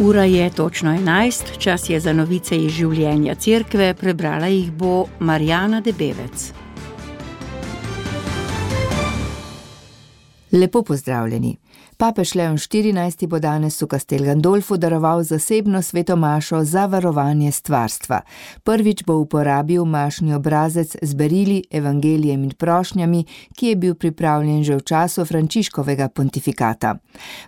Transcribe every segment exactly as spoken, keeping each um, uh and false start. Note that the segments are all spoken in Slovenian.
Ura je točno enajst, čas je za novice iz življenja cerkve, prebrala jih bo Marjana Debevec. Lepo pozdravljeni. Papež Leon štirinajsti bo danes v Castel Gandolfu daroval zasebno sveto mašo za varovanje stvarstva. Prvič bo uporabil mašni obrazec z berili, evangelijem in prošnjami, ki je bil pripravljen že v času Frančiškovega pontifikata.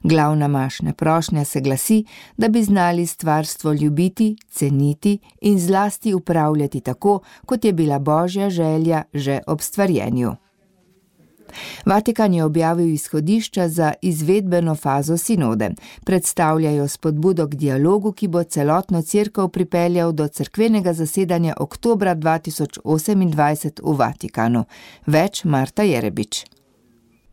Glavna mašna prošnja se glasi, da bi znali stvarstvo ljubiti, ceniti in zlasti upravljati tako, kot je bila Božja želja že ob stvarjenju. Vatikan je objavil izhodišča za izvedbeno fazo sinode. Predstavljajo spodbudo k dialogu, ki bo celotno cerkev pripeljal do cerkvenega zasedanja oktobra dva tisoč osemindvajset v Vatikanu. Več Marta Jerebič.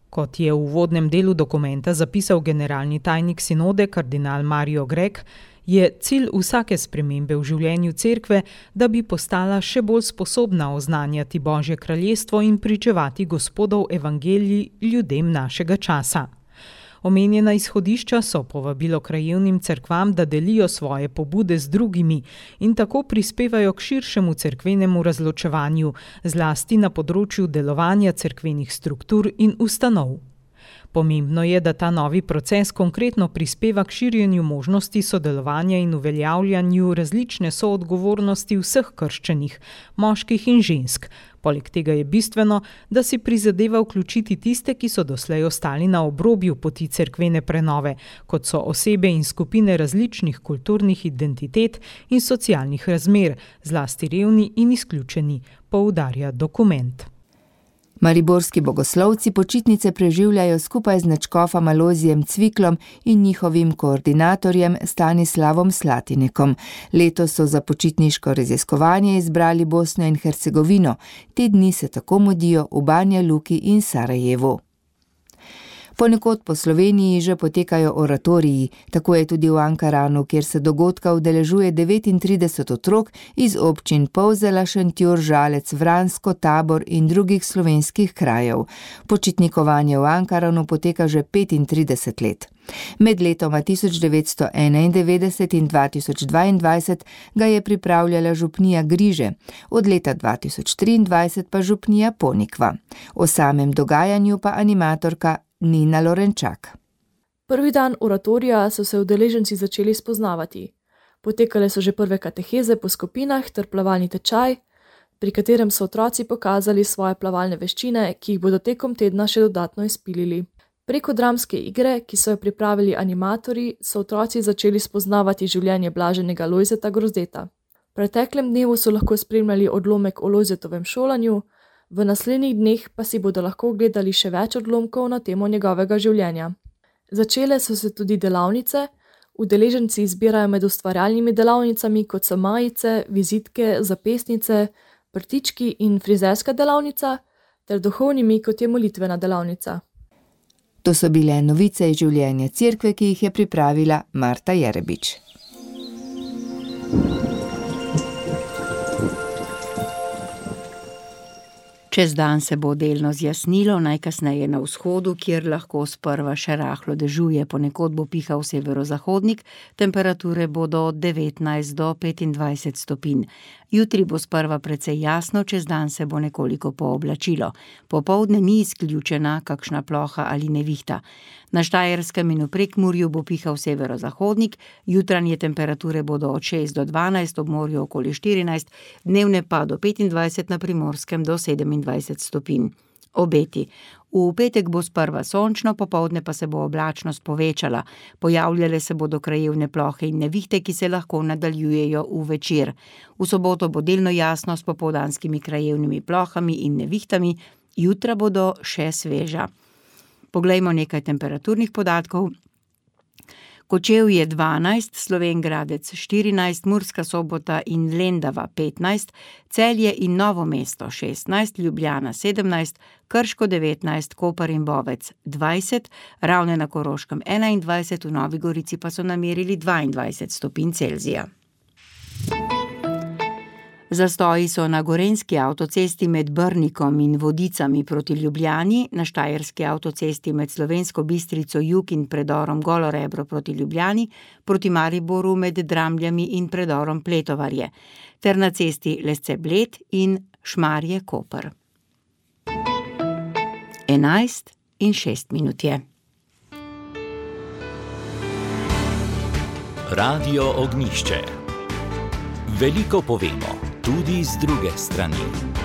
Kot je v uvodnem delu dokumenta zapisal generalni tajnik sinode kardinal Mario Grech, je cilj vsake spremembe v življenju cerkve, da bi postala še bolj sposobna oznanjati Božje kraljestvo in pričevati Gospodov evangelij ljudem našega časa. Omenjena izhodišča so povabilo krajevnim cerkvam, da delijo svoje pobude z drugimi in tako prispevajo k širšemu cerkvenemu razločevanju, zlasti na področju delovanja cerkvenih struktur in ustanov. Pomembno je, da ta novi proces konkretno prispeva k širjenju možnosti sodelovanja in uveljavljanju različne soodgovornosti vseh krščenih, moških in žensk. Poleg tega je bistveno, da si prizadeva vključiti tiste, ki so doslej ostali na obrobju poti cerkvene prenove, kot so osebe in skupine različnih kulturnih identitet in socialnih razmer, zlasti revni in izključeni, poudarja dokument. Mariborski bogoslovci počitnice preživljajo skupaj z nadškofom Alozijem Cviklom in njihovim koordinatorjem Stanislavom Slatinekom. Letos so za počitniško raziskovanje izbrali Bosno in Hercegovino. Te dni se tako mudijo v Banja Luki in Sarajevu. Ponekod po Sloveniji že potekajo oratoriji, tako je tudi v Ankaranu, kjer se dogodka udeležuje devetintrideset otrok iz občin Polzela, Šentjur, Žalec, Vransko, Tabor in drugih slovenskih krajev. Počitnikovanje v Ankaranu poteka že petintrideset let. Med letoma tisoč devetsto enaindevetdeset in dva tisoč dvaindvajset ga je pripravljala župnija Griže, od leta dva tisoč triindvajset pa župnija Ponikva. O samem dogajanju pa animatorka Nina Lorenčak. Prvi dan oratorija so se udeleženci začeli spoznavati. Potekale so že prve kateheze po skupinah ter plavalni tečaj, pri katerem so otroci pokazali svoje plavalne veščine, ki jih bodo tekom tedna še dodatno izpilili. Preko dramske igre, ki so jo pripravili animatorji, so otroci začeli spoznavati življenje blaženega Lojzeta Grozdeta. V preteklem dnevu so lahko spremljali odlomek o Lojzetovem šolanju, v naslednjih dneh pa si bodo lahko gledali še več odlomkov na temo njegovega življenja. Začele so se tudi delavnice, udeleženci izbirajo med ustvarjalnimi delavnicami, kot so majice, vizitke, zapestnice, prtički in frizerska delavnica, ter duhovnimi, kot je molitvena delavnica. To so bile novice iz življenja cerkve, ki jih je pripravila Marta Jerebič. Čez dan se bo delno zjasnilo, najkasneje na vzhodu, kjer lahko sprva še rahlo dežuje, ponekod bo pihal severozahodnik, temperature bodo od devetnajst do petindvajset stopinj. Jutri bo sprva precej jasno, čez dan se bo nekoliko pooblačilo. Popoldne ni izključena kakšna ploha ali nevihta. Na Štajerskem in v Prekmurju bo pihal severozahodnik, jutranje temperature bodo od šest do dvanajst, ob morju okoli štirinajst, dnevne pa do petindvajset, na Primorskem do sedemindvajset stopinj. Obeti. V petek bo sprva sončno, popoldne pa se bo oblačnost povečala. Pojavljale se bodo krajevne plohe in nevihte, ki se lahko nadaljujejo v večer. V soboto bo delno jasno s popoldanskimi krajevnimi plohami in nevihtami, jutra bodo še sveža. Poglejmo nekaj temperaturnih podatkov. Kočevje dvanajst, Slovenj Gradec štirinajst, Murska Sobota in Lendava petnajst, Celje in Novo mesto šestnajst, Ljubljana sedemnajst, Krško devetnajst, Koper in Bovec dvajset, Ravne na Koroškem enaindvajset, v Novi Gorici pa so namerili dvaindvajset stopinj Celzija. Zastoji so na gorenjski avtocesti med Brnikom in Vodicami proti Ljubljani, na štajerski avtocesti med Slovensko Bistrico jug in predorom Golo Rebro proti Ljubljani, proti Mariboru med Dramljami in predorom Pletovarje, ter na cesti Lesce-Bled in Šmarje-Koper. Enajst in šest minut je. Radio Ognjišče. Veliko povemo, tudi z druge strani.